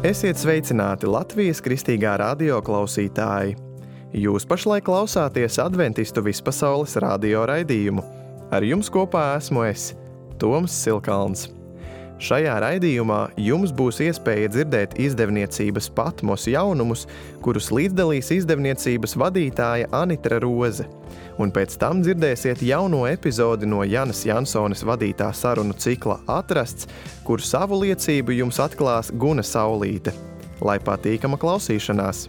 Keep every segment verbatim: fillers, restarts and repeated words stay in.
Esiet sveicināti Latvijas Kristīgā radio klausītāji! Jūs pašlaik klausāties Adventistu vispasaules radio raidījumu. Ar jums kopā esmu es, Toms Silkalns. Šajā raidījumā jums būs iespēja dzirdēt izdevniecības Patmos jaunumus, kurus līdzdalīs izdevniecības vadītāja Anitra Roze. Un pēc tam dzirdēsiet jauno epizodi no Janas Jansones vadītā sarunu cikla Atrasts, kur savu liecību jums atklās Guna Saulīte. Lai patīkama klausīšanās!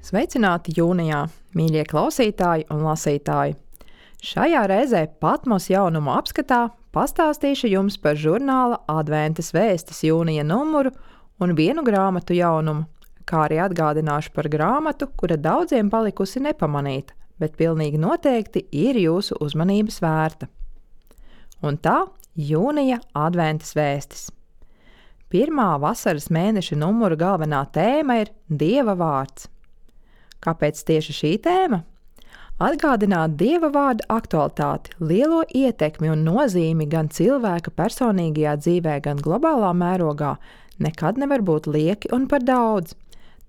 Sveicināti jūnijā, mīļie klausītāji un lasītāji! Šajā reizē Patmos jaunumu apskatā pastāstīšu jums par žurnāla Adventas vēstis jūnija numuru un vienu grāmatu jaunumu, kā arī atgādināšu par grāmatu, kura daudziem palikusi nepamanīta, bet pilnīgi noteikti ir jūsu uzmanības vērta. Un tā jūnija Adventas vēstis. Pirmā vasaras mēneša numura galvenā tēma ir Dieva vārds. Kāpēc tieši šī tēma? Atgādināt Dieva vārda aktualitāti, lielo ietekmi un nozīmi gan cilvēka personīgajā dzīvē, gan globālā mērogā nekad nevar būt lieki un par daudz.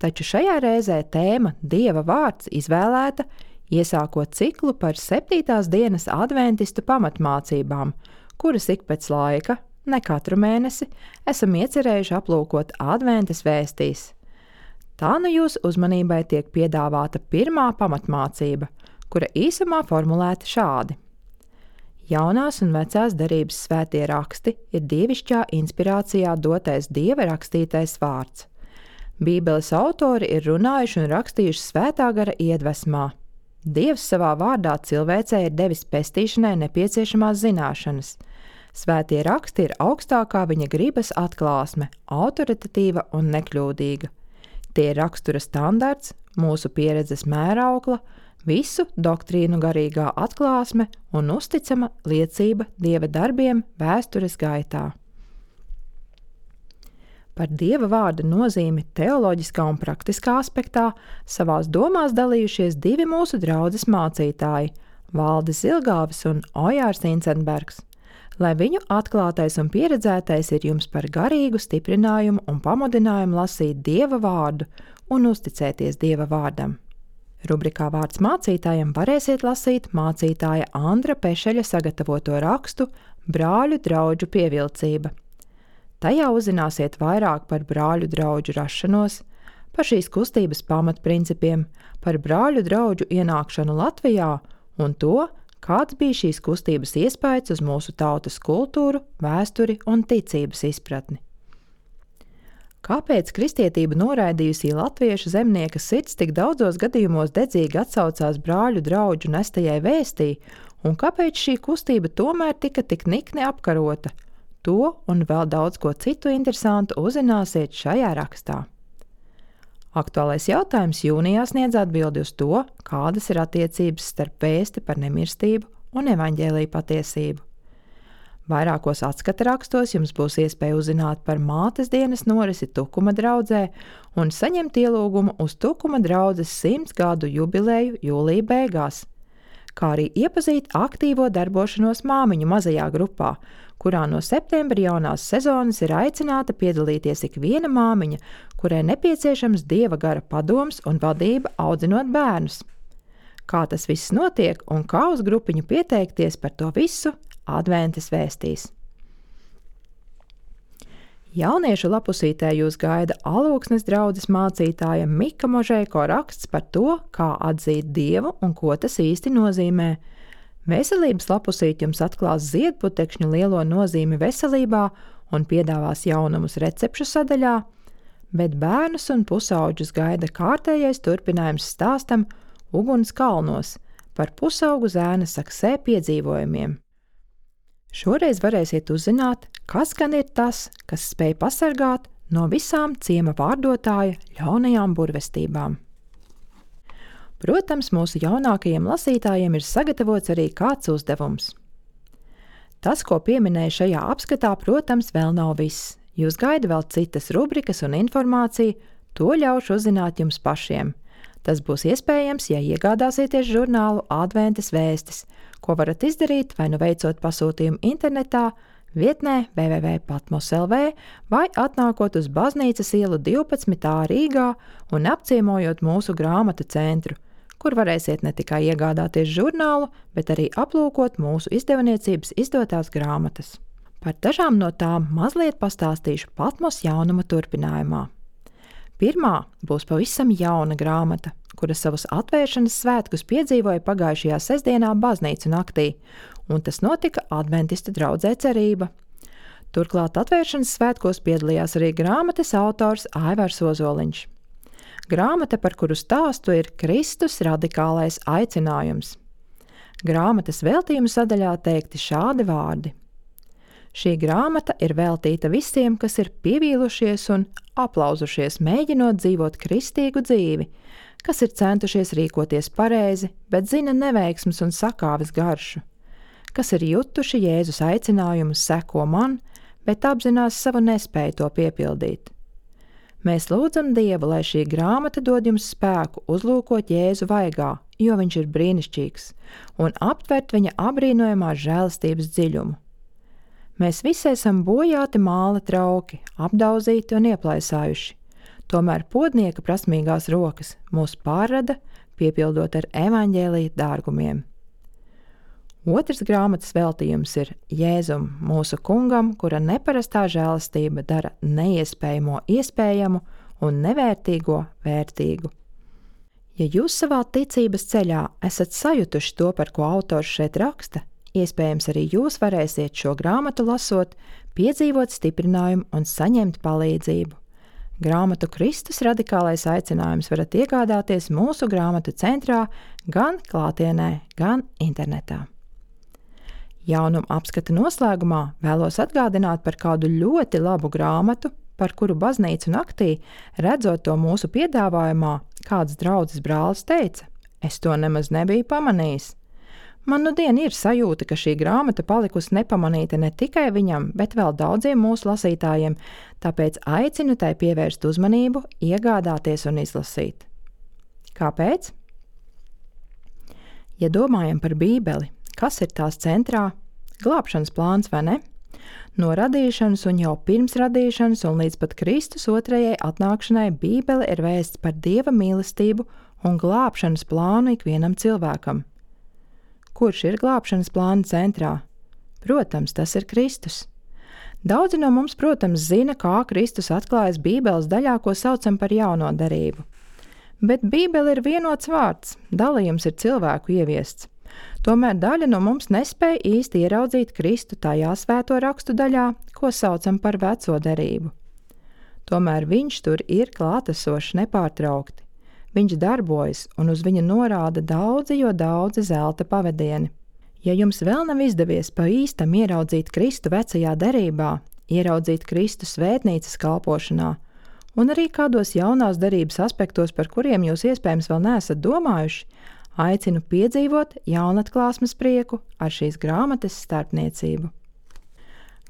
Taču šajā reizē tēma Dieva vārds izvēlēta, iesākot ciklu par septītās dienas adventistu pamatmācībām, kuras ik pēc laika, ne katru mēnesi, esam iecerējuši aplūkot Adventas vēstīs. Tā nu jūsu uzmanībai tiek piedāvāta pirmā pamatmācība, kura īsumā formulēta šādi. Jaunās un vecās derības svētie raksti ir dievišķā inspirācijā dotais Dieva rakstītais vārds. Bībeles autori ir runājuši un rakstījuši svētā gara iedvesmā. Dievs savā vārdā cilvēcei ir devis pestīšanai nepieciešamās zināšanas. Svētie raksti ir augstākā viņa gribas atklāsme, autoritatīva un nekļūdīga. Tie ir rakstura standarts, mūsu pieredzes mēraukla, visu doktrīnu garīgā atklāsme un uzticama liecība Dieva darbiem vēstures gaitā. Par Dieva vārda nozīmi teoloģiskā un praktiskā aspektā savās domās dalījušies divi mūsu draudzes mācītāji – Valdis Zilgāvis un Ojārs Incenbergs. Lai viņu atklātais un pieredzētais ir jums par garīgu stiprinājumu un pamudinājumu lasīt Dieva vārdu un uzticēties Dieva vārdam. Rubrikā Vārds mācītājam varēsiet lasīt mācītāja Andra Pešeļa sagatavoto rakstu Brāļu draudžu pievilcība. Tajā uzzināsiet vairāk par brāļu draudžu rašanos, par šīs kustības pamatprincipiem, par brāļu draudžu ienākšanu Latvijā un to, kāds bija šīs kustības iespējas uz mūsu tautas kultūru, vēsturi un ticības izpratni. Kāpēc kristietība noraidījusī latviešu zemnieka sirds tik daudzos gadījumos dedzīgi atsaucās brāļu draudžu nestajai vēstī, un kāpēc šī kustība tomēr tika tik nikni apkarota? To un vēl daudz ko citu interesantu uzzināsiet šajā rakstā. Aktuālais jautājums jūnijā sniedz atbildi uz to, kādas ir attiecības starp vēsti par nemirstību un evaņģēlija patiesību. Vairākos atskata rakstos jums būs iespēja uzzināt par mātes dienas norisi Tukuma draudzē un saņemt ielūgumu uz Tukuma draudzes simts gadu jubileju jūlija beigās, kā arī iepazīt aktīvo darbošanos māmiņu mazajā grupā, kurā no septembra jaunās sezonas ir aicināta piedalīties ik viena māmiņa, kurai nepieciešams Dieva gara padoms un vadība audzinot bērnus. Kā tas viss notiek un kā uz grupiņu pieteikties, par to visu Adventas vēstīs. Jauniešu lapusītē jūs gaida Alūksnes draudzes mācītāja Mika Možeiko raksts par to, kā atzīt Dievu un ko tas īsti nozīmē. Veselības lapusīt jums atklās ziedputekšņu lielo nozīmi veselībā un piedāvās jaunumus recepšu sadaļā, bet bērnus un pusauģus gaida kārtējais turpinājums stāstam Uguns kalnos par pusaugu zēna saksē piedzīvojumiem. Šoreiz varēsiet uzzināt, kas gan ir tas, kas spēj pasargāt no visām ciema vārdotāja ļaunajām burvestībām. Protams, mūsu jaunākajiem lasītājiem ir sagatavots arī kāds uzdevums. Tas, ko pieminēju šajā apskatā, protams, vēl nav viss. Jūs gaida vēl citas rubrikas un informācija, to ļaušu uzzināt jums pašiem. Tas būs iespējams, ja iegādāsieties žurnālu Adventas vēstis, ko varat izdarīt vai nu veicot pasūtījumu internetā, vietnē w w w punkt patmos punkt l v vai atnākot uz Baznīcas ielu divpadsmit A Rīgā un apciemojot mūsu grāmatu centru, kur varēsiet ne tikai iegādāties žurnālu, bet arī aplūkot mūsu izdevniecības izdotās grāmatas. Par dažām no tām mazliet pastāstīšu Patmos jaunuma turpinājumā. Pirmā būs pavisam jauna grāmata, kura savus atvēršanas svētkus piedzīvoja pagājušajā sestdienā baznīcu naktī, un tas notika Adventistu draudzē Cerība. Turklāt atvēršanas svētkos piedalījās arī grāmatas autors Aivars Ozoliņš. Grāmata, par kuru stāstu, ir Kristus radikālais aicinājums. Grāmatas veltījuma sadaļā teikti šādi vārdi. Šī grāmata ir veltīta visiem, kas ir pievīlušies un aplauzušies, mēģinot dzīvot kristīgu dzīvi, kas ir centušies rīkoties pareizi, bet zina neveiksmes un sakāves garšu, kas ir jutuši Jēzus aicinājumu seko man, bet apzinās savu nespēju to piepildīt. Mēs lūdzam Dievu, lai šī grāmata dod jums spēku uzlūkot Jēzu vaigā, jo viņš ir brīnišķīgs, un aptvert viņa abrīnojamās žēlastības dziļumu. Mēs visi esam bojāti māla trauki, apdauzīti un ieplaisājuši, tomēr podnieka prasmīgās rokas mūs pārrada, piepildot ar evaņģēlija dārgumiem. Otrs grāmatas veltījums ir Jēzum, mūsu kungam, kura neparastā žēlastība dara neiespējamo iespējamu un nevērtīgo vērtīgu. Ja jūs savā ticības ceļā esat sajutuši to, par ko autors šeit raksta, iespējams arī jūs varēsiet šo grāmatu lasot, piedzīvot stiprinājumu un saņemt palīdzību. Grāmatu Kristus radikālais aicinājums varat iegādāties mūsu grāmatu centrā gan klātienē, gan internetā. Jaunuma apskata noslēgumā vēlos atgādināt par kādu ļoti labu grāmatu, par kuru baznīcu naktī, redzot to mūsu piedāvājumā, kāds draudzes brālis teica, es to nemaz nebiju pamanījis. Man nu dien ir sajūta, ka šī grāmata palikusi nepamanīta ne tikai viņam, bet vēl daudziem mūsu lasītājiem, tāpēc aicinu tai pievērst uzmanību, iegādāties un izlasīt. Kāpēc? Ja domājam par Bībeli, kas ir tās centrā? Glābšanas plāns, vai ne? No radīšanas un jau pirms radīšanas un līdz pat Kristus otrajai atnākšanai Bībele ir vēsts par Dieva mīlestību un glābšanas plānu ikvienam cilvēkam. Kurš ir glābšanas plāna centrā? Protams, tas ir Kristus. Daudzi no mums, protams, zina, kā Kristus atklājas Bībeles daļā, ko saucam par jauno darību. Bet Bībele ir vienots vārds, dalījums ir cilvēku ieviests. Tomēr daļa no mums nespēja īsti ieraudzīt Kristu tajā svēto rakstu daļā, ko saucam par veco derību. Tomēr viņš tur ir klātesošs nepārtraukti. Viņš darbojas un uz viņu norāda daudzi, jo daudzi zelta pavadieni. Ja jums vēl nav izdevies pa īstam ieraudzīt Kristu vecajā derībā, ieraudzīt Kristu svētnīcas kalpošanā un arī kādos jaunās derības aspektos, par kuriem jūs iespējams vēl neesat domājuši, aicinu piedzīvot jaunatklāsmes prieku ar šīs grāmatas starpniecību.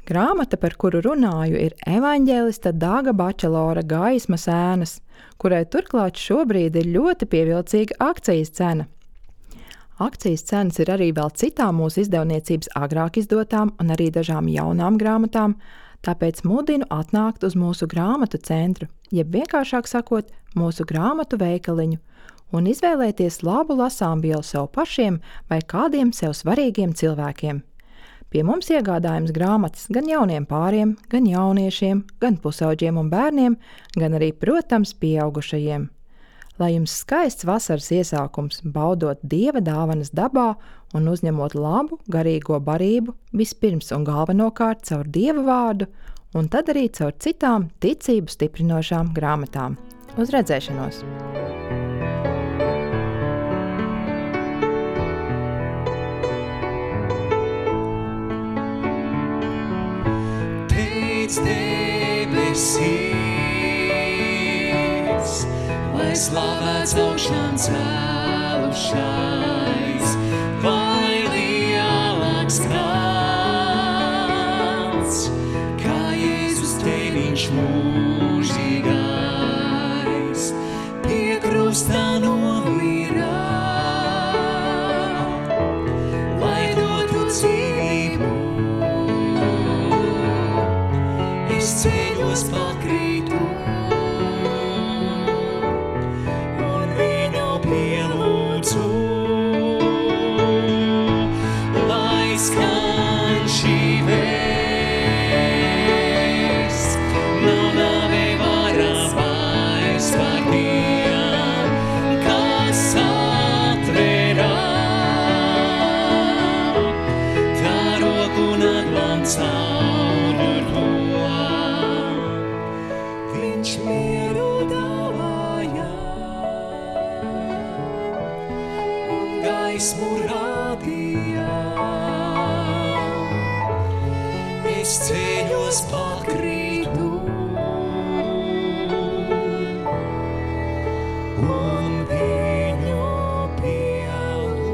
Grāmata, par kuru runāju, ir evaņģēlista Dāga Bačelora Gaismas ēnas, kurai turklāt šobrīd ir ļoti pievilcīga akcijas cena. Akcijas cenas ir arī vēl citām mūsu izdevniecības agrāk izdotām un arī dažām jaunām grāmatām, tāpēc mudinu atnākt uz mūsu grāmatu centru, jeb vienkāršāk sakot, mūsu grāmatu veikaliņu, un izvēlēties labu lasāmvielu sev pašiem vai kādiem sev svarīgiem cilvēkiem. Pie mums iegādājums grāmatas gan jauniem pāriem, gan jauniešiem, gan pusauģiem un bērniem, gan arī, protams, pieaugušajiem. Lai jums skaists vasaras iesākums, baudot Dieva dāvanas dabā un uzņemot labu, garīgo barību vispirms un galvenokārt caur Dieva vārdu, un tad arī caur citām ticību stiprinošām grāmatām. Uz redzēšanos! Debesīs, lai slavēts augšām cēlušais, vai lielāks kāds, kā Jēzus tēviņš mūžīgais, pie krusta no es ceļos pakrītu un viņu pielūdzu, lai skan šī vēsts, nav nāvei vara vairs par tiem, kas atverā tā roku un atlam caur to. Viņš mieru dāvāja un gaismu rādīja. Es ceļos pakrītu un viņu pielūdzu.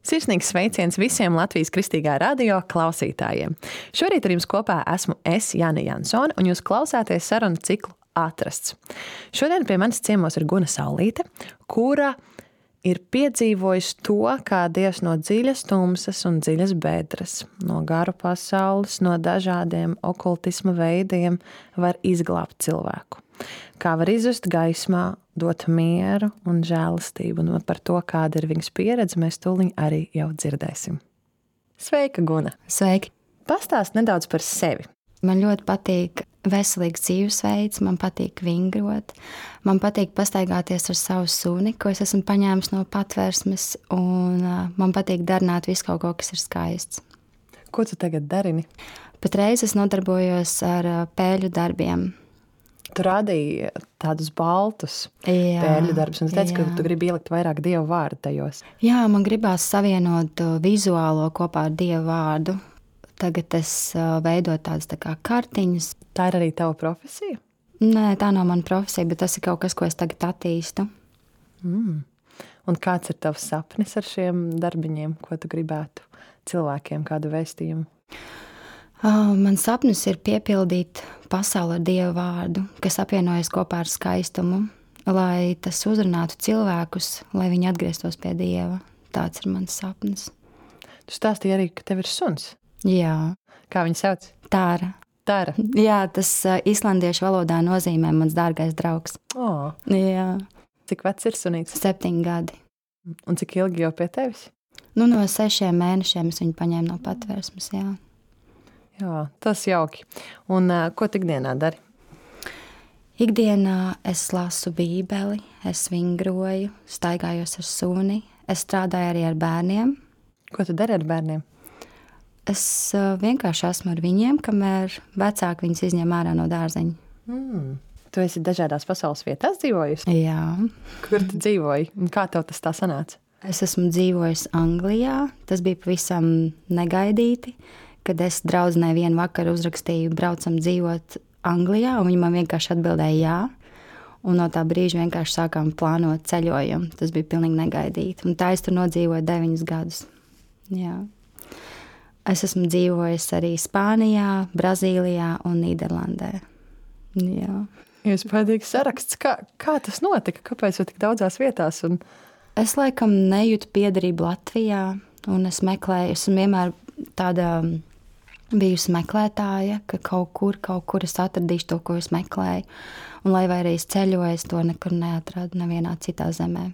Sirsnīgs sveiciens visiem Latvijas Kristīgā radio klausītājiem. Šorīt ar jums kopā esmu es, Jana Jansone, un jūs klausāties sarunu ciklu Atrasts. Šodien pie manis ciemos ir Guna Saulīte, kura ir piedzīvojusi to, kā Dievs no dziļas tumsas un dziļas bedres, no garu pasaules, no dažādiem okultisma veidiem var izglābt cilvēku. Kā var izjust gaismā, dot mieru un žēlastību, un par to, kāda ir viņas pieredze, mēs tūliņ arī jau dzirdēsim. Sveika, Guna! Sveiki! Pastāst nedaudz par sevi. Man ļoti patīk veselīgs dzīvesveids, man patīk vingrot, man patīk pastaigāties ar savu suni, ko es esmu paņēmis no patvērsmes, un uh, man patīk darināt visu kaut ko, kas ir skaists. Ko tu tagad darini? Patreiz es nodarbojos ar uh, pēļu darbiem. Tu rādīji tādus baltus Jā, pēļu darbus, un tu teici, ka jā. tu gribi ielikt vairāk Dievu vārdu tajos. Jā, man gribās savienot uh, vizuālo kopā ar Dievu vārdu. Tagad es uh, veidoju tādas tā kā kartiņas. Tā ir arī tava profesija? Nē, tā nav mana profesija, bet tas ir kaut kas, ko es tagad attīstu. Mm. Un kāds ir tavs sapnis ar šiem darbiņiem, ko tu gribētu cilvēkiem, kādu vēstījumu? Uh, man sapnis ir piepildīt pasauli ar Dievu vārdu, kas apvienojas kopā ar skaistumu, lai tas uzrunātu cilvēkus, lai viņi atgrieztos pie Dieva. Tāds ir mans sapnis. Tu stāstīji arī, ka tev ir suns. Jā, Kā viņu sauc? Tāra. Tāra. Jā, tas uh, islandiešu valodā nozīmē mans dārgais draugs. Oh, Jā, cik vecs ir sunīts? septiņi gadi. Un cik ilgi jau pie tevis? Nu, no sešiem mēnešiem es viņu paņēmu no patvērsmes, jā. Jā, tas jauki. Un uh, ko tu ikdienā dari? Ikdienā es lasu bībeli, es vingroju, staigājos ar suni, es strādāju arī ar bērniem. Ko tu dari ar bērniem? Es uh, vienkārši esmu ar viņiem, kamēr vecāki viņus izņem ārā no dārzeņa. Mm. Tu esi dažādās pasaules vietās dzīvojusi? Jā. Kur tu dzīvoji? Un kā tev tas tā sanāca? Es esmu dzīvojusi Anglijā. Tas bija pavisam negaidīti, kad es draudzenei vienu vakaru uzrakstīju, braucam dzīvot Anglijā, un viņa man vienkārši atbildēja jā. Un no tā brīža vienkārši sākām plānot ceļojumu. Tas bija pilnīgi negaidīti. Un tā es tur nodzīvoju deviņus gadus. Jā. Es esmu dzīvojis arī Spānijā, Brazīlijā un Nīderlandē. Jā. Iespējams saraksts. Kā, kā tas notika? Kāpēc tu tik daudzās vietās? Un... Es laikam nejūtu piederību Latvijā, un es meklēju, esmu vienmēr tāda bijusi meklētāja, ka kaut kur, kaut kur es atradīšu to, ko es meklēju. Un lai vai arī es ceļoju, es to nekur neatradu nevienā citā zemē.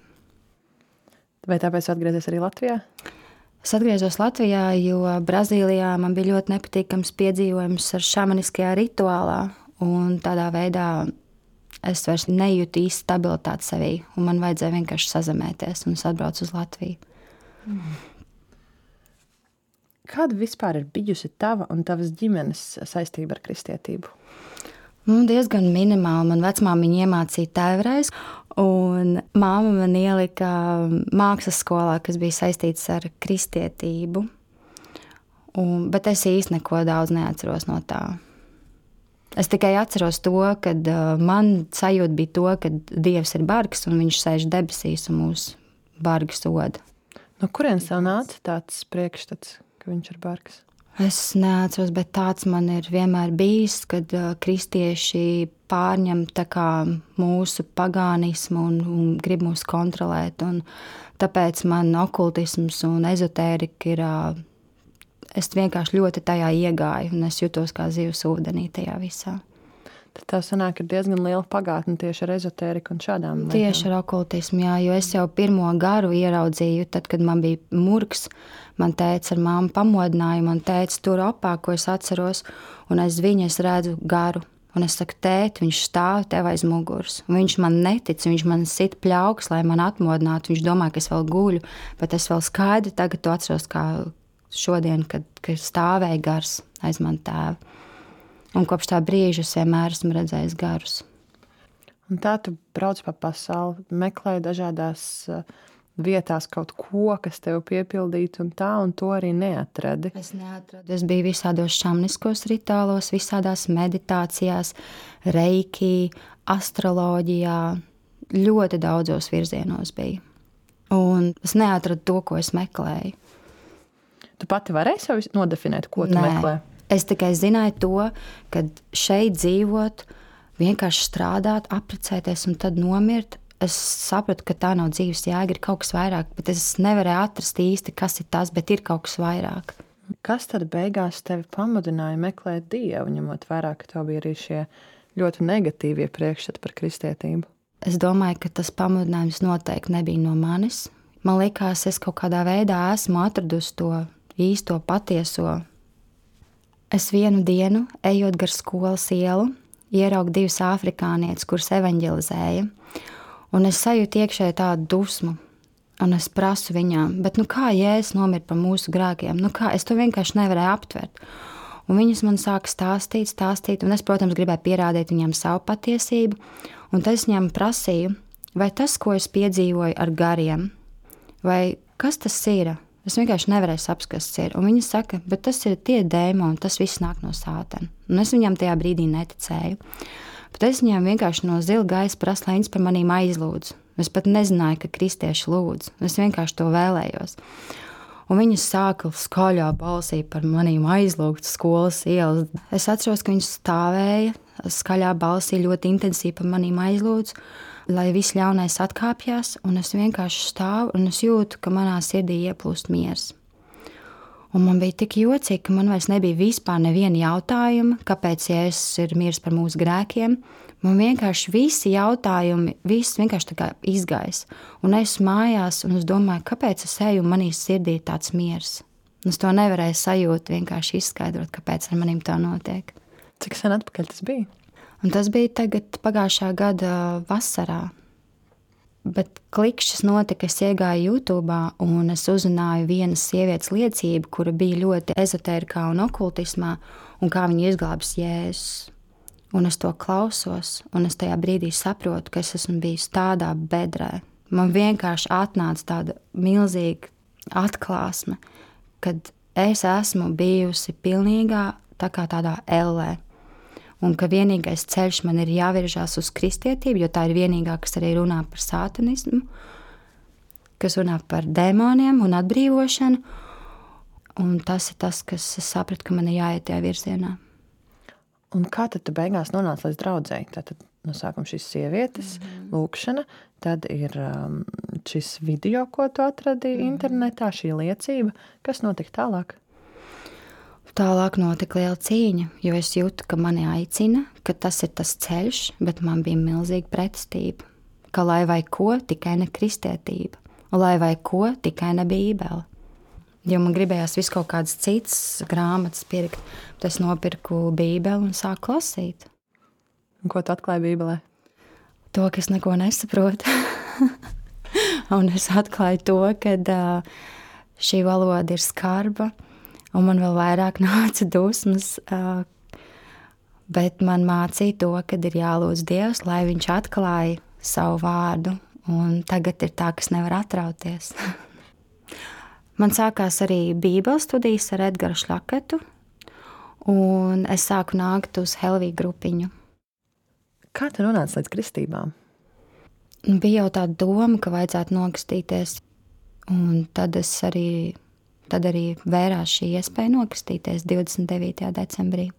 Vai tāpēc atgriezies arī Latvijā? Es atgriezos Latvijā, jo Brazīlijā man bija ļoti nepatīkams piedzīvojums ar šamaniskajā rituālā, un tādā veidā es vairs nejūtu īsti stabilitāti sevī, un man vajadzēja vienkārši sazemēties, un es atbraucu uz Latviju. Mm. Kāda vispār ir bijusi tava un tavas ģimenes saistība ar kristietību? Nu, diezgan minimāli. Man vecmāmiņa iemācīja tēvreiz, un māma man ielika mākslas skolā, kas bija saistīts ar kristietību. Un, bet es īsti neko daudz neatceros no tā. Es tikai atceros to, ka uh, man sajūta bija to, ka Dievs ir bargs un viņš sēž debesīs un mūs bargi soda. No kurienes tev nāca tāds priekšstats, ka viņš ir bargs? Es neatceros, bet tāds man ir vienmēr bijis, kad uh, kristieši pārņem tā kā mūsu pagānismu un, un grib mūs kontrolēt. Un tāpēc man okultisms un ezotērika ir, uh, es vienkārši ļoti tajā iegāju un es jutos kā zivs ūdenī tajā visā. Tad tā sanāk, ir diezgan liela pagātne tieši ar ezotēriku un šādām lietām. Tieši ar okultismu, jā, jo es jau pirmo garu ieraudzīju, tad, kad man bija murgs, man tēca ar māmu pamodināja, man tēca tur opā, ko es atceros, un aiz viņa es redzu garu. Un es saku, tēt, viņš stāv tev aiz muguras. Un viņš man netic, viņš man sit pļauks, lai man atmodinātu. Viņš domā, ka es vēl guļu, bet es vēl skaidri tagad to atceros, kā šodien, kad, kad stāvēja gars aiz man tēva. Un kopš tā brīža es vienmēr esmu redzējis garus. Un tā tu brauc pa pasauli, meklēji dažādās vietās kaut ko, kas tev piepildītu, un tā, un to arī neatradi. Es neatradu. Es biju visādos šamniskos ritālos, visādās meditācijās, reiki, astroloģijā, ļoti daudzos virzienos biju. Un es neatradu to, ko es meklēju. Tu pati varēji sev nodefinēt, ko tu Nē. meklē? Es tikai zināju to, ka šeit dzīvot, vienkārši strādāt, apprecēties un tad nomirt. Es sapratu, ka tā nav dzīves jēga, ir kaut kas vairāk, bet es nevarēju atrast īsti, kas ir tas, bet ir kaut kas vairāk. Kas tad beigās tevi pamudināja meklēt Dievu, ņemot vērā, ka tev bija arī šie ļoti negatīvie priekšstati par kristietību? Es domāju, ka tas pamudinājums noteikti nebija no manis. Man likās, es kaut kādā veidā esmu atradusi to īsto patieso. Es vienu dienu, ejot gar skolas ielu, ieraugu divas afrikānietes, kuras evaņģelizēja, un es sajūtu iekšēji tādu dusmu, un es prasu viņām, bet nu kā Jēzus nomira par mūsu grēkiem? Nu kā? Es to vienkārši nevarēju aptvert. Un viņas man sāka stāstīt, stāstīt, un es, protams, gribēju pierādīt viņām savu patiesību, un tad es viņām prasīju, vai tas, ko es piedzīvoju ar gariem, vai kas tas ir? Es vienkārši nevarēju saprast, kas tas ir. Un viņi saka, bet tas ir tie dēmoni, tas viss nāk no sātana. Un es viņam tajā brīdī neticēju. Bet es viņām vienkārši no zila gaisa prasu, lai viņas par manīm aizlūdz. Es pat nezināju, ka kristieši lūdz. Es vienkārši to vēlējos. Un viņas sāka skaļā balsī par manīm aizlūgt skolas ielas. Es atceros, ka viņas stāvēja skaļā balsī ļoti intensīvi par manīm aizlūdz, lai viss ļaunais atkāpjas, un es vienkārši stāvu, un es jūtu, ka manā sirdī ieplūst miers. Un man bija tik jocīgi, ka man vairs nebija vispār neviena jautājuma, kāpēc Jēzus ir miris par mūsu grēkiem. Man vienkārši visi jautājumi, viss vienkārši tā kā izgais. Un es mājās, un es domāju, kāpēc es eju, un manī sirdī ir tāds miers. Un es to nevarēju sajūt, vienkārši izskaidrot, kāpēc ar manim tā notiek. Cik sen atpakaļ tas bija? Un tas bija tagad pagājušā gada vasarā. Bet klikšķis notika, es iegāju YouTube un es uzzināju vienas sievietes liecību, kura bija ļoti ezotērikā un okultismā, un kā viņa izglābs Jēzus. Un es to klausos, un es tajā brīdī saprotu, ka es esmu bijis tādā bedrē. Man vienkārši atnāca tāda milzīga atklāsme, kad es esmu bijusi pilnīgā tā kā tādā ellē. Un ka vienīgais ceļš man ir jāviržās uz kristietību, jo tā ir vienīgā, kas arī runā par sātanismu, kas runā par dēmoniem un atbrīvošanu. Un tas ir tas, kas es sapratu, ka man ir jāiet tajā virzienā. Un kā tad tu beigās nonāc līdz draudzei? Tātad no sākuma šīs sievietes, mm-hmm. lūkšana, tad ir um, šis video, ko tu atradi mm-hmm. internetā, šī liecība. Kas notika tālāk? Tālāk notika liela cīņa, jo es jūtu, ka mani aicina, ka tas ir tas ceļš, bet man bija milzīga pretestība. Ka lai vai ko, tikai ne kristietība. Un lai vai ko, tikai ne bībele. Jo man gribējās visu kaut kādas citas grāmatas pirkt, bet es nopirku bībeli un sāku lasīt. Un ko tu atklāji bībelē? To, ka es neko nesaprotu. Un es atklāju to, ka uh, šī valoda ir skarba, un man vēl vairāk nāca dusmas, uh, bet man mācīja to, ka ir jālūdz Dievs, lai viņš atklāja savu vārdu, un tagad ir tā, kas nevar atrauties. Man sākās arī bībeles studijas ar Edgaru Šlaketu, un es sāku nākt uz Helviju grupiņu. Kā tu nonāci līdz kristībām? Bija jau tā doma, ka vajadzētu nokstīties, un tad es arī tad arī vērās šī iespēja nokristīties divdesmit devītajā decembrī.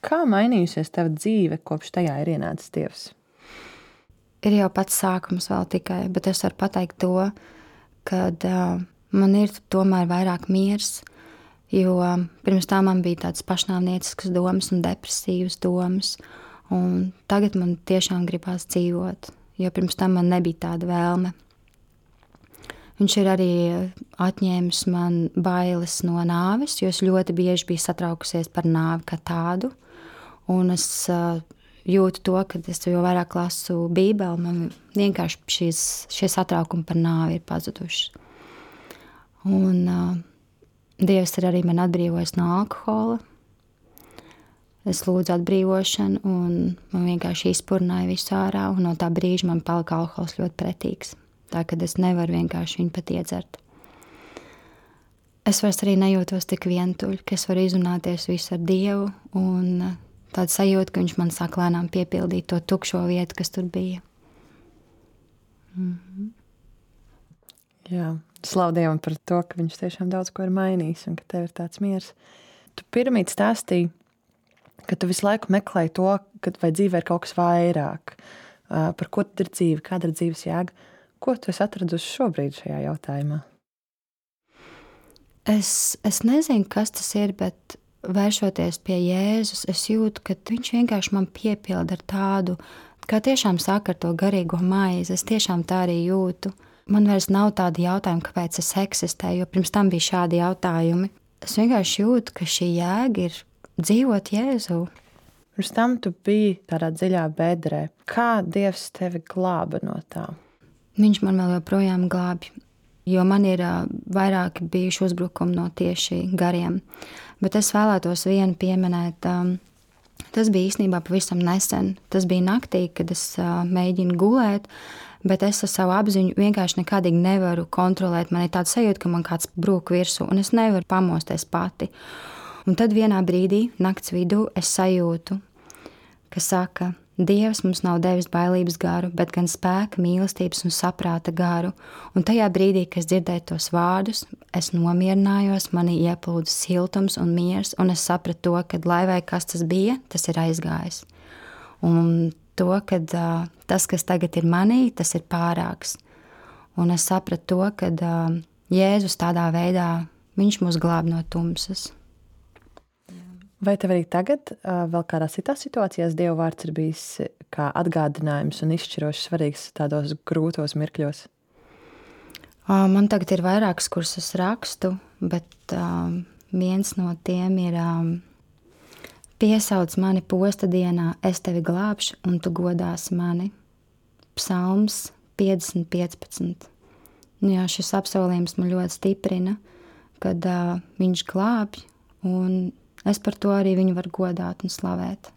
Kā mainījusies tava dzīve, kopš tajā ir ienācis Dievs? Ir jau pats sākums vēl tikai, bet es varu pateikt to, kad uh, man ir tomēr vairāk miers, jo pirms tā man bija tādas pašnāvnieciskas domas un depresīvas domas, un tagad man tiešām gribās dzīvot, jo pirms tam man nebija tāda vēlme. Viņš ir arī atņēmis man bailes no nāves, jo es ļoti bieži biju satraukusies par nāvi kā tādu, un es uh, jūtu to, ka es jo vairāk lasu Bībeli, man vienkārši šīs, šie satraukumi par nāvi ir pazuduši. Un uh, Dievs ir arī man atbrīvojis no alkohola. Es lūdzu atbrīvošanu, un man vienkārši izpurnāja visu ārā, un no tā brīža man palika alkohols ļoti pretīgs. Tā, kad es nevaru vienkārši viņu pat iedzert. Es vairs arī nejūtos tik vientuļ, ka es varu izrunāties visu ar Dievu, un tāda sajūta, ka viņš man sāk lēnām piepildīt to tukšo vietu, kas tur bija. Mhm. Jā, slavu Dievam par to, ka viņš tiešām daudz ko ir mainījis un ka tev ir tāds miers. Tu pirmīt stāstīji, ka tu visu laiku meklēji to, ka vai dzīvē ir kaut kas vairāk, par ko tad ir dzīve, kāda ir dzīves jēga. Ko tu esi atradusi šobrīd šajā jautājumā? Es, es nezinu, kas tas ir, bet vēršoties pie Jēzus, es jūtu, ka viņš vienkārši man piepilda ar tādu, kā tiešām saka ar to garīgo maizi. Es tiešām tā arī jūtu. Man vairs nav tādi jautājumi, kāpēc es eksistēju, jo pirms tam bija šādi jautājumi. Es vienkārši jūtu, ka šī jēga ir dzīvot Jēzu. Pirms tam tu biji tādā dziļā bedrē. Kā Dievs tevi glāba no tā? Viņš man vēl joprojām glābj, jo man ir uh, vairāki bijuši uzbrukumi no tieši gariem. Bet es vēlētos vienu pieminēt. Um, tas bija īstenībā pavisam nesen. Tas bija naktī, kad es uh, mēģinu gulēt, bet es ar savu apziņu vienkārši nekādīgi nevaru kontrolēt. Man ir tāds sajūta, ka man kāds brūk virsū, un es nevaru pamosties pati. Un tad vienā brīdī, nakts vidū, es sajūtu, ka saka, Dievs mums nav devis bailības garu, bet gan spēka, mīlestības un saprāta garu. Un tajā brīdī, kad es dzirdēju tos vārdus, es nomierinājos, manī ieplūda siltums un miers, un es sapratu to, ka lai vai kas tas bija, tas ir aizgājis. Un to, ka uh, tas, kas tagad ir manī, tas ir pārāks. Un es sapratu to, ka uh, Jēzus tādā veidā, viņš mūs glāb no tumsas. Vai tev arī tagad, vēl kādā citās situācijās, Dieva vārds ir bijis kā atgādinājums un izšķiroši svarīgs tādos grūtos mirkļos? Man tagad ir vairākas, kuras es rakstu, bet um, viens no tiem ir um, piesauc mani posta dienā, es tevi glābšu un tu godāsi mani. Psalms piecdesmit piecpadsmit. Nu jā, šis apsolījums man ļoti stiprina, kad uh, viņš glābj, un es par to arī viņu varu godāt un slavēt.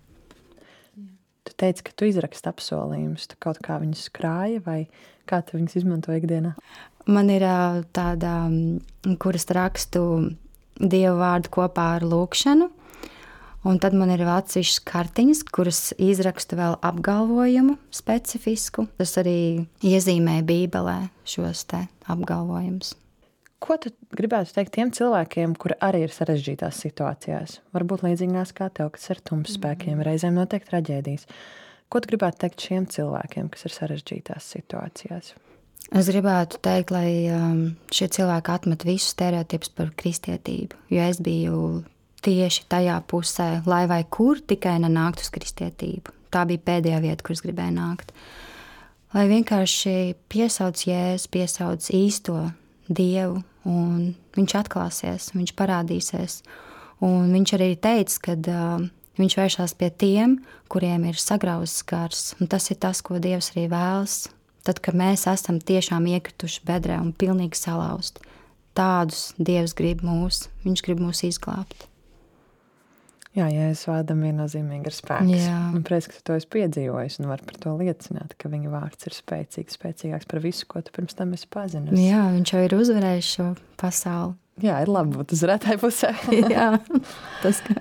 Tu teici, ka tu izraksti apsolījumus. Tu kaut kā viņus krāji vai kā tu viņus izmanto ikdienā? Man ir tāda, kuras rakstu Dievu vārdu kopā ar lūkšanu, un tad man ir atsevišķas kartiņas, kuras izrakstu vēl apgalvojumu specifisku. Tas arī iezīmē Bībelē šos te apgalvojumus. Ko tu gribētu teikt tiem cilvēkiem, kuri arī ir sarežģītās situācijās? Varbūt līdzīgās kā tev, kas ir tums spēkiem, reizēm notiek traģēdijas. Ko tu gribētu teikt šiem cilvēkiem, kas ir sarežģītās situācijās? Es gribētu teikt, lai um, šie cilvēki atmet visus stereotipus par kristietību, jo es biju tieši tajā pusē, lai vai kur tikai nenākt uz kristietību. Tā bija pēdējā vieta, kur es gribēju nākt. Lai vienkārši piesauc Jēzu, piesauc īsto Dievu, un viņš atklāsies, viņš parādīsies. Un viņš arī teica, ka uh, viņš vēršās pie tiem, kuriem ir sagrauzts gars. Un tas ir tas, ko Dievs arī vēlas. Tad, kad mēs esam tiešām iekrituši bedrē un pilnīgi salauzt, tādus Dievs grib mūs, viņš grib mūs izglābt. Jā, Jēzus vārdam viennozīmīgi ir spēks. Jā. Un prieks, ka tu to esi piedzīvojis un var par to liecināt, ka viņa vārds ir spēcīgs, spēcīgāks par visu, ko tu pirms tam esi pazinis. Jā, viņš jau ir uzvarējis šo pasauli. Jā, ir labi būt uzvarētāju pusē. Jā, tas kā.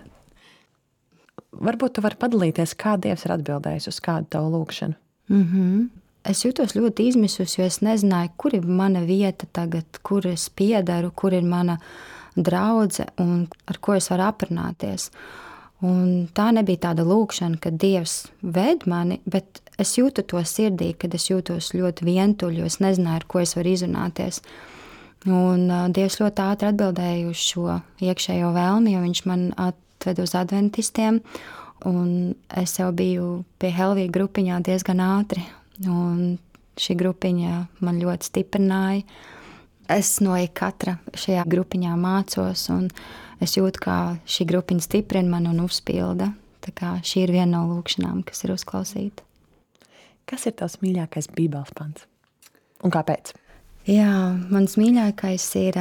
Varbūt tu vari padalīties, kā Dievs ir atbildējis uz kādu tavu lūkšanu. Mm-hmm. Es jūtos ļoti izmisusi, jo es nezināju, kur ir mana vieta tagad, kur es piedaru, kur ir mana draudze un ar ko es varu aprunāties. Un tā nebija tāda lūkšana, ka Dievs ved mani, bet es jūtu to sirdī, kad es jūtos ļoti vientuļi, jo es nezināju, ar ko es varu izrunāties. Un uh, Dievs ļoti ātri atbildēja uz šo iekšējo vēlmi, jo viņš man atved uz adventistiem, un es jau biju pie Helvija grupiņā diezgan ātri, un šī grupiņa man ļoti stiprināja. Es no katra šajā grupiņā mācos, un es jūtu, kā šī grupiņa stiprina man un uzpilda. Tā kā šī ir viena no lūkšanām, kas ir uzklausīta. Kas ir tavs mīļākais bībeles pants? Un kāpēc? Jā, mans mīļākais ir,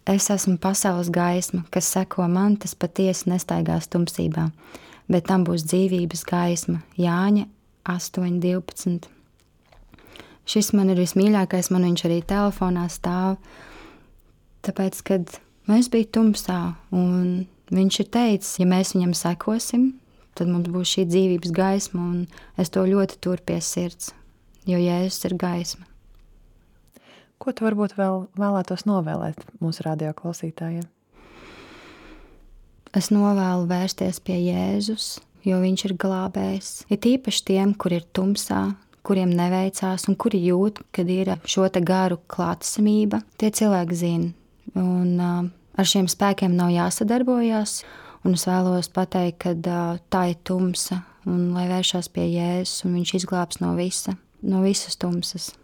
es esmu pasaules gaisma, kas seko man, tas patiesi nestaigās tumsībā, bet tam būs dzīvības gaisma. Jāņa astoņi divpadsmit. Šis man ir vismīļākais, man viņš arī telefonā stāv, tāpēc, kad mēs bija tumsā, un viņš ir teicis, ja mēs viņam sekosim, tad mums būs šī dzīvības gaisma, un es to ļoti turu pie sirds, jo Jēzus ir gaisma. Ko tu varbūt vēl vēlētos novēlēt mūsu radio klausītājiem? Es novēlu vērsties pie Jēzus, jo viņš ir glābējs. Ir īpaši tiem, kur ir tumsā, kuriem neveicās un kuri jūt, kad ir šo te garu klātesamība. Tie cilvēki zina, un uh, ar šiem spēkiem nav jāsadarbojās, un es vēlos pateikt, ka uh, tā ir tumsa, un lai vēršās pie Jēzus, un viņš izglābs no visa, no visas tumsas.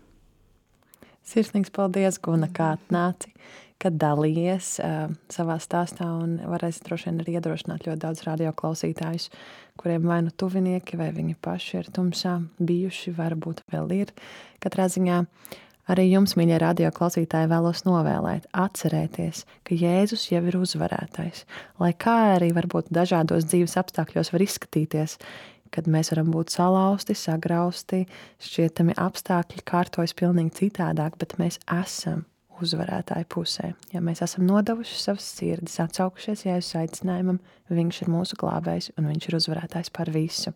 Sirsnīgs paldies, Guna, kā atnāci, kad dalījies uh, savā stāstā, un varēs droši vien arī iedrošināt ļoti daudz radio klausītājus, kuriem vai nu tuvinieki, vai viņi paši ir tumsā bijuši, varbūt vēl ir. Katrā ziņā arī jums, mīļie radio klausītāji, vēlos novēlēt, atcerēties, ka Jēzus jau ir uzvarētais, lai kā arī varbūt dažādos dzīves apstākļos var izskatīties, kad mēs varam būt salauzti, sagrausti, šķietami apstākļi kārtojas pilnīgi citādāk, bet mēs esam uzvarētāju pusē. Ja mēs esam nodevuši savas sirdis, atsaukušies Jēzus aicinājumam, viņš ir mūsu glābējs un viņš ir uzvarētājs par visu.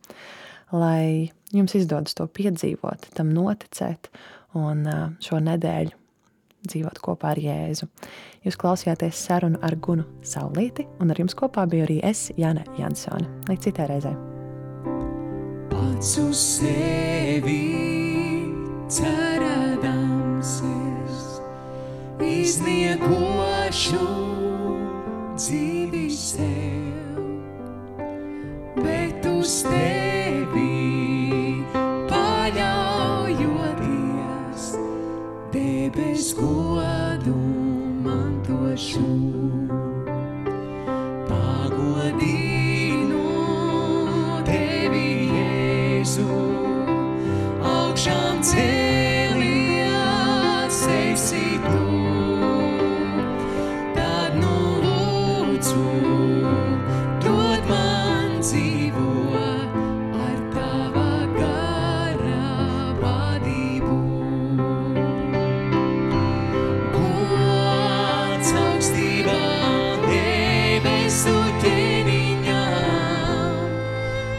Lai jums izdodas to piedzīvot, tam noticēt un šo nedēļu dzīvot kopā ar Jēzu. Jūs klausījāties sarunu ar Gunu Saulīti, un ar jums kopā biju arī es, Jana Jansone. Līdz citai reizei. Pats uz sevi cerēdams es izniekošu dzīvi sev, bet uz tevi paļaujoties, debes godu mantošu. Pagodinu tevi, Jēzu, augšām cēlies esi tu. Dod man dzīvo ar tava gara vadību. Gods augstībā debesu ķēniņām.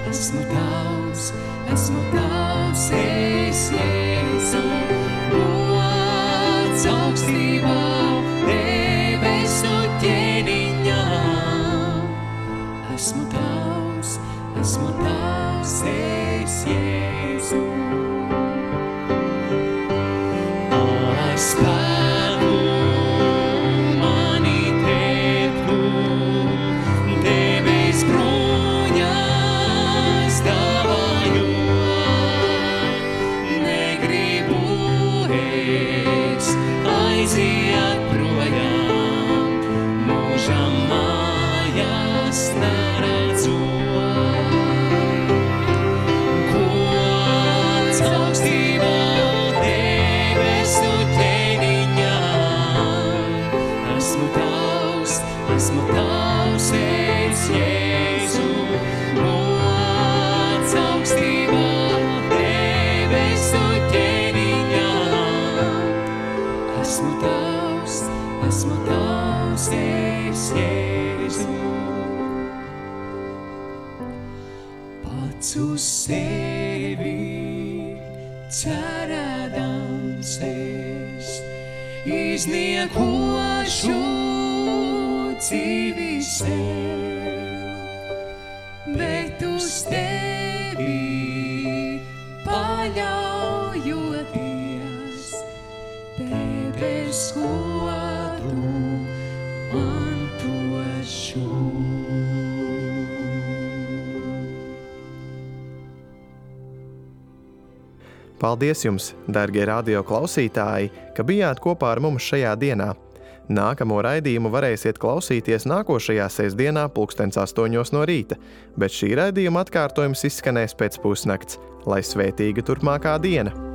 Esmu tavs, esmu tavs, es Jēzu. Gods augstībā debesu ķēniņām. Esmu tavs, esmu tavs, es Jēzu. Ar spēku mani tēptu, debes bruņas dāvājot. Negribu es aiziet projām, mūžam mājās neredzot. Gods augstībā debesu ķēniņām. Esmu tavs, esmu tavs, es Jēzu. Gods augstībā debesu ķēniņām. Esmu tavs, esmu tavs, es Jēzu. Pats uz sevi cerēdams es izniekošu dzīvi sev, bet uz tevi paļaujoties, debes godu mantošu. Paldies jums, dargie radio klausītāji, ka bijāt kopā ar mums šajā dienā. Nākamo raidījumu varēsiet klausīties nākošajā sestdienā pulkstens astoņos no rīta, bet šī raidījuma atkārtojums izskanēs pēc pusnakts. Lai svētīga turpmākā diena!